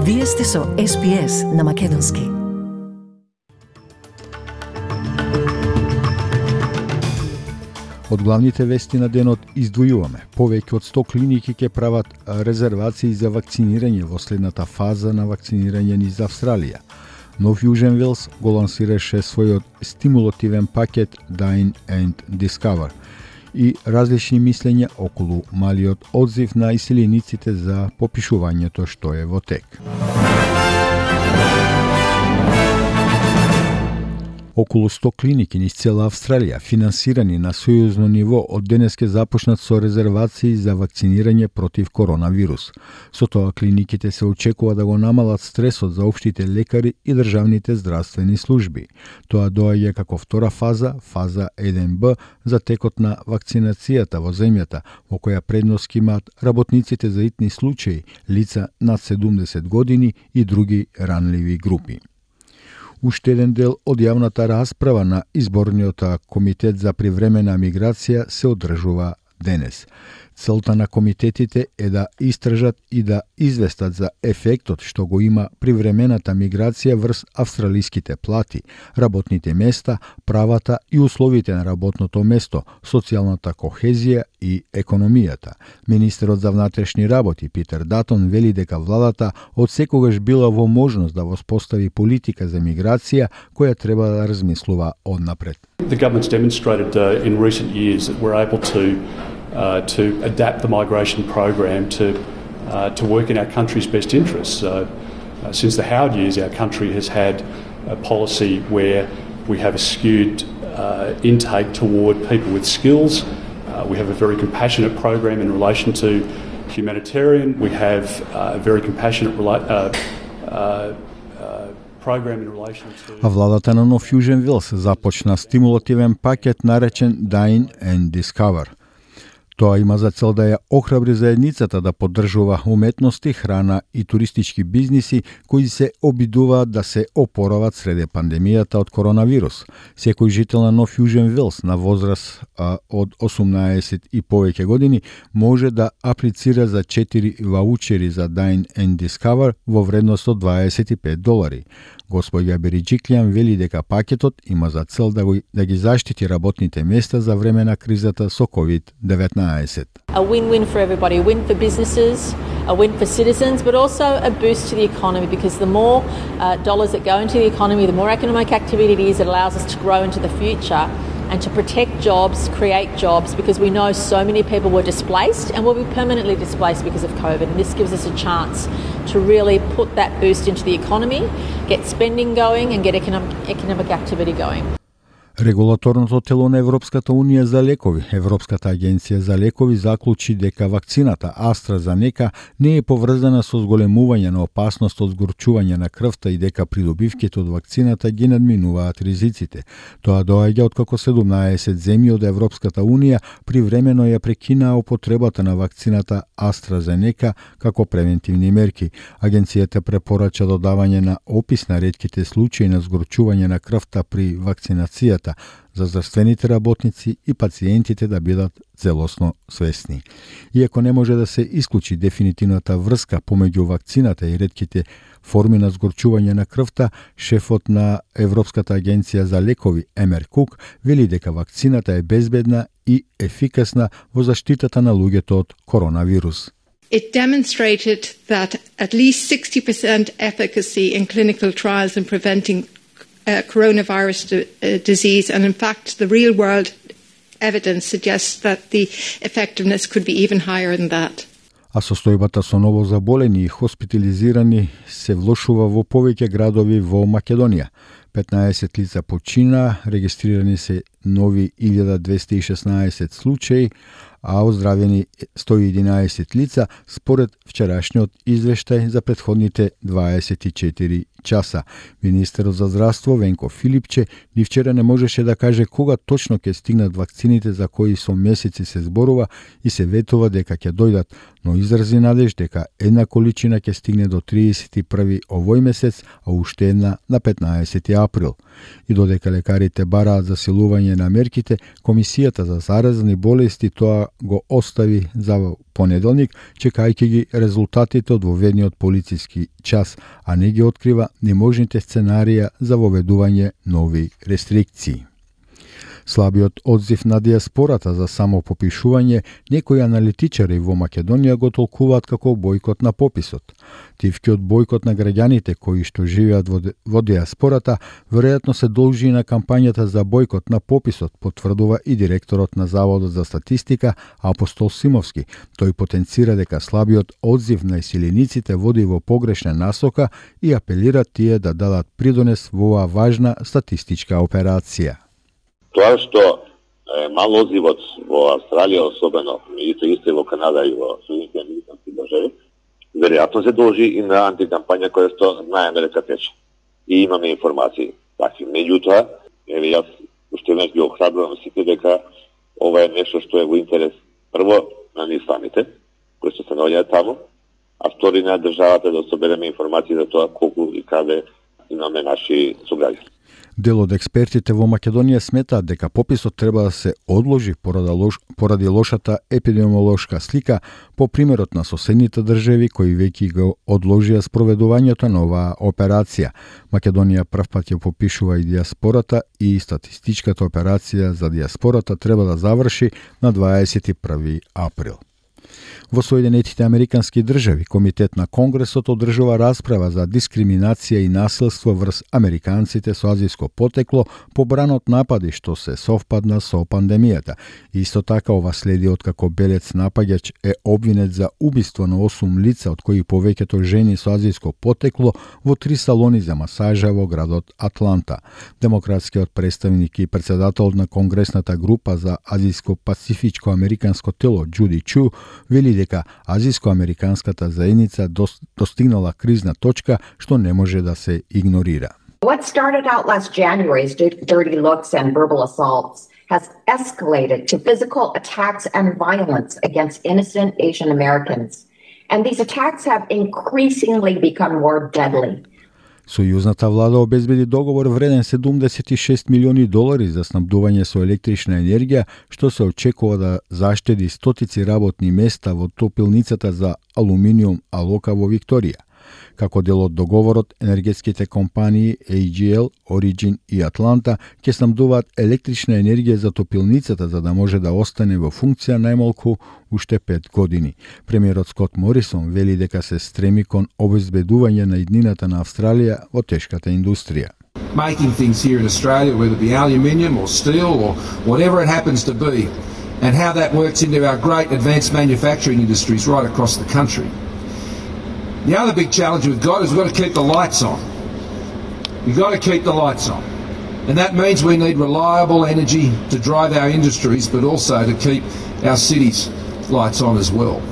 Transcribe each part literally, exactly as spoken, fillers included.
Вие сте со Ес Би Ес на Македонски. Од главните вести на денот издвојуваме. Повеќе од сто клиники ќе прават резервации за вакцинирање во следната фаза на вакцинирање низ Австралија. Нов Јужен Велс го лансираше својот стимулативен пакет Dine and Discover и различни мислења околу малиот одзив на иселениците за попишувањето што е во тек. Околу сто клиники низ цела Австралија, финансирани на сојузно ниво, од денес ќе започнат со резервации за вакцинирање против коронавирус. Со тоа клиниките се очекува да го намалат стресот за општите лекари и државните здравствени служби. Тоа доаѓа како втора фаза, фаза еден Б, за текот на вакцинацијата во земјата, во која предност имаат работниците за итни случаи, лица над седумдесет години и други ранливи групи. Уште еден дел од јавната расправа на Изборниот комитет за привремена миграција се одржува денес. Целта на комитетите е да истражат и да известат за ефектот што го има привремената миграција врз австралиските плати, работните места, правата и условите на работното место, социјалната кохезија и економијата. Министерот за внатрешни работи Питер Датон вели дека владата од секогаш била во можност да воспостави политика за миграција која треба да размислува однапред. The government's demonstrated uh, in recent years that we're able to Uh, to adapt the migration program to uh, to work in our country's best interests. Uh, uh, since the Howard years, our country has had a policy where we have a skewed uh, intake toward people with skills. Uh, we have a very compassionate program in relation to humanitarian. We have uh, a very compassionate rela- uh, uh, program in relation to... А владата на Нов Јужен Велс започна стимулативен пакет наречен Dine and Discover. Тоа има за цел да ја охрабри заедницата да поддржува уметности, храна и туристички бизниси кои се обидуваат да се опорават среде пандемијата од коронавирус. Секој жител на Нов Јужен Велс на возраст а, од осумнаесет и повеќе години може да аплицира за четири ваучери за Dine and Discover во вредност од дваесет и пет долари. Господја Бериџиклјан вели дека пакетот има за цел да, го, да ги заштити работните места за време на кризата со ковид деветнаесет. A win-win for everybody, a win for businesses, a win for citizens, but also a boost to the economy because the more uh, dollars that go into the economy, the more economic activity it is, it allows us to grow into the future and to protect jobs, create jobs, because we know so many people were displaced and will be permanently displaced because of COVID. And this gives us a chance to really put that boost into the economy, get spending going and get economic, economic activity going. Регулаторното тело на Европската Унија за лекови, Европската агенција за лекови, заклучи дека вакцината AstraZeneca не е поврзана со зголемување на опасност од згорчување на крвта и дека придобивките од вакцината ги надминуваат ризиците. Тоа доаѓа откако седумнаесет земји од Европската Унија привремено ја прекинаа употребата на вакцината AstraZeneca како превентивни мерки. Агенцијата препорача додавање на опис на ретките случаи на згорчување на крвта при вакцинацијата за здравствените работници и пациентите да бидат целосно свесни. Иако не може да се исклучи дефинитивната врска помеѓу вакцината и ретките форми на згорчување на крвта, шефот на Европската агенција за лекови Емер Кук вели дека вакцината е безбедна и ефикасна во заштитата на луѓето од коронавирус. It demonstrated that at least sixty percent efficacy in clinical trials in preventing Uh, coronavirus d- uh, disease, and in fact the real world evidence suggests that the effectiveness could be even higher than that. А состојбата со ново заболени и хоспитализирани се влошува во повеќе градови во Македонија. петнаесет лица почина, регистрирани се нови илјада двесте и шеснаесет случаи, а оздравени сто и единаесет лица според вчерашниот извештај за претходните дваесет и четири часа. Министерот за здравство Венко Филипче ни вчера не можеше да каже кога точно ќе стигнат вакцините за кои со месеци се зборува и се ветува дека ќе дојдат, но изрази надеж дека една количина ќе стигне до триесет и први овој месец, а уште една на петнаесети април. И додека лекарите бараат засилување на мерките, Комисијата за заразни болести тоа го остави за понеделник, чекајќи ги резултатите од воведниот полициски час, а не ги открива неможните сценарија за воведување нови рестрикции. Слабиот одзив на диаспората за самопопишување некои аналитичари во Македонија го толкуваат како бојкот на пописот. Тивкиот бојкот на граѓаните кои што живеат во, во диаспората веројатно се должи на кампањата за бојкот на пописот, потврдува и директорот на Заводот за статистика Апостол Симовски. Тој потенцира дека слабиот одзив на иселениците води во погрешна насока и апелира тие да дадат придонес во оваа важна статистичка операција. Тоа што е мал одзивот во Австралија, особено, меѓуто исто и во Канада и во Соединетите американски држави, веројатно се должи и на антикампања која што знаеме дека тече. И имаме информации такви. Меѓутоа, еве јас уште веднаш ги охрабрувам сите дека ова е нешто што е во интерес прво на ние самите, кои што се наоѓаат таму, а втори на државата да собереме информации за тоа колку и каде имаме наши сограѓани. Дел од експертите во Македонија сметаат дека пописот треба да се одложи поради, лош, поради лошата епидемиолошка слика по примерот на соседните држави кои веќе го одложија спроведувањето на оваа операција. Македонија првпат ја попишува и диаспората и статистичката операција за диаспората треба да заврши на дваесет и први април. Во Соединетите американски држави, Комитет на Конгресот одржува расправа за дискриминација и насилство врз американците со азиско потекло по бранот напади што се совпадна со пандемијата. Исто така ова следи откако белец напаѓач е обвинет за убиство на осум лица, од кои повеќето жени со азиско потекло во три салони за масажа во градот Атланта. Демократскиот представник и председател на Конгресната група за азиско-пацифичко американско тело Џуди Чу вели дека азиско-американската заедница достигнала кризна точка што не може да се игнорира. What started out last January's dirty looks and verbal assaults has escalated to physical attacks and violence against innocent Asian Americans. And these attacks have increasingly become more deadly. Сојузната влада обезбеди договор вреден седумдесет и шест милиони долари за снабдување со електрична енергија, што се очекува да заштеди стотици работни места во топилницата за алуминиум Алока во Викторија. Како дел од договорот, енергетските компании Ей Джи Ел, Origin и Атланта ќе снабдуваат електрична енергија за топилницата за да може да остане во функција најмалку уште пет години. Премиерот Скот Морисон вели дека се стреми кон обезбедување на иднината на Австралија во тешката индустрија. Making things here in Australia, whether it be aluminium or steel or whatever it happens to be, and how that works into our great advanced manufacturing industries right across the country. The other big challenge we've got is we've got to keep the lights on. We've got to keep the lights on. And that means we need reliable energy to drive our industries, but also to keep our cities' lights on as well.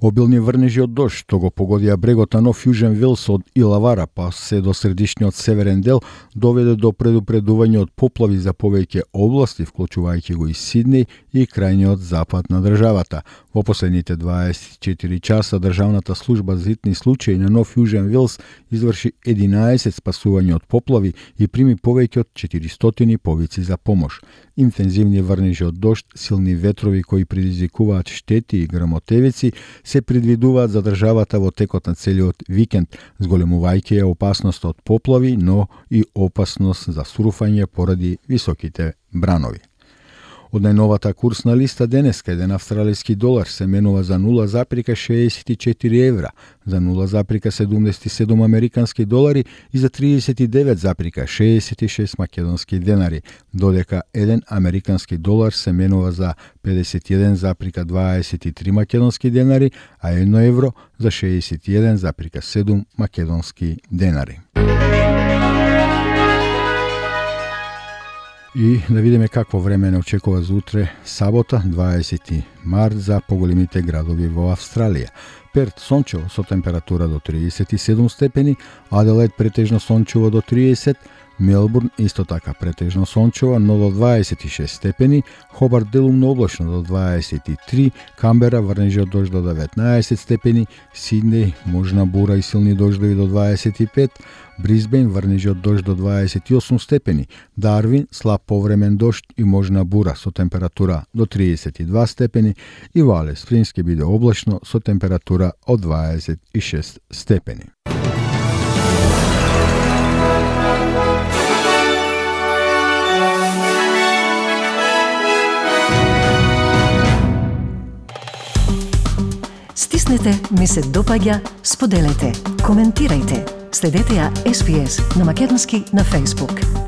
Обилни врнежи од дожд што го погодија брегот на Нов Јужен Велс од Илавара па се до средишниот северен дел доведе до предупредување од поплави за повеќе области, вклучувајќи го и Сиднеј и крајниот запад на државата. Во последните дваесет и четири часа Државната служба за хитни случаи на Нов Јужен Велс изврши единаесет спасувања од поплави и прими повеќе од четиристотини повици за помош. Интензивни врнежи од дожд, силни ветрови кои предизвикуваат штети и грмотевици се предвидуваат за државата во текот на целиот викенд, зголемувајќи ја опасност од поплави, но и опасност за сруфање поради високите бранови. Од најновата курсна листа денеска еден австралиски долар се менува за нула запирка шеесет и четири евра, за нула запирка седумдесет и седум американски долари и за триесет и девет запирка шеесет и шест македонски денари, додека еден американски долар се менува за педесет и еден запирка дваесет и три македонски денари, а едно евро за шеесет и еден запирка седум македонски денари. И да видиме какво време не очекува за утре, сабота, дваесети март, за поголемите градови во Австралија. Перт сончево со температура до триесет и седум степени, Аделаид претежно сончево до триесет, Мелбурн исто така претежно сончево, но до дваесет и шест степени, Хобарт делумно облачно до дваесет и три, Камбера врнежи од дожд до деветнаесет степени, Сиднеј можна бура и силни дождови до дваесет и пет, Брисбен врнежи од дожд до дваесет и осум степени, Дарвин слаб повремен дожд и можна бура со температура до триесет и два степени и во Алис Спрингс ќе биде облачно со температура од дваесет и шест степени. Стиснете, ми се допаѓа, споделете, коментирајте. Следете ја Ес Би Ес на македонски на Facebook.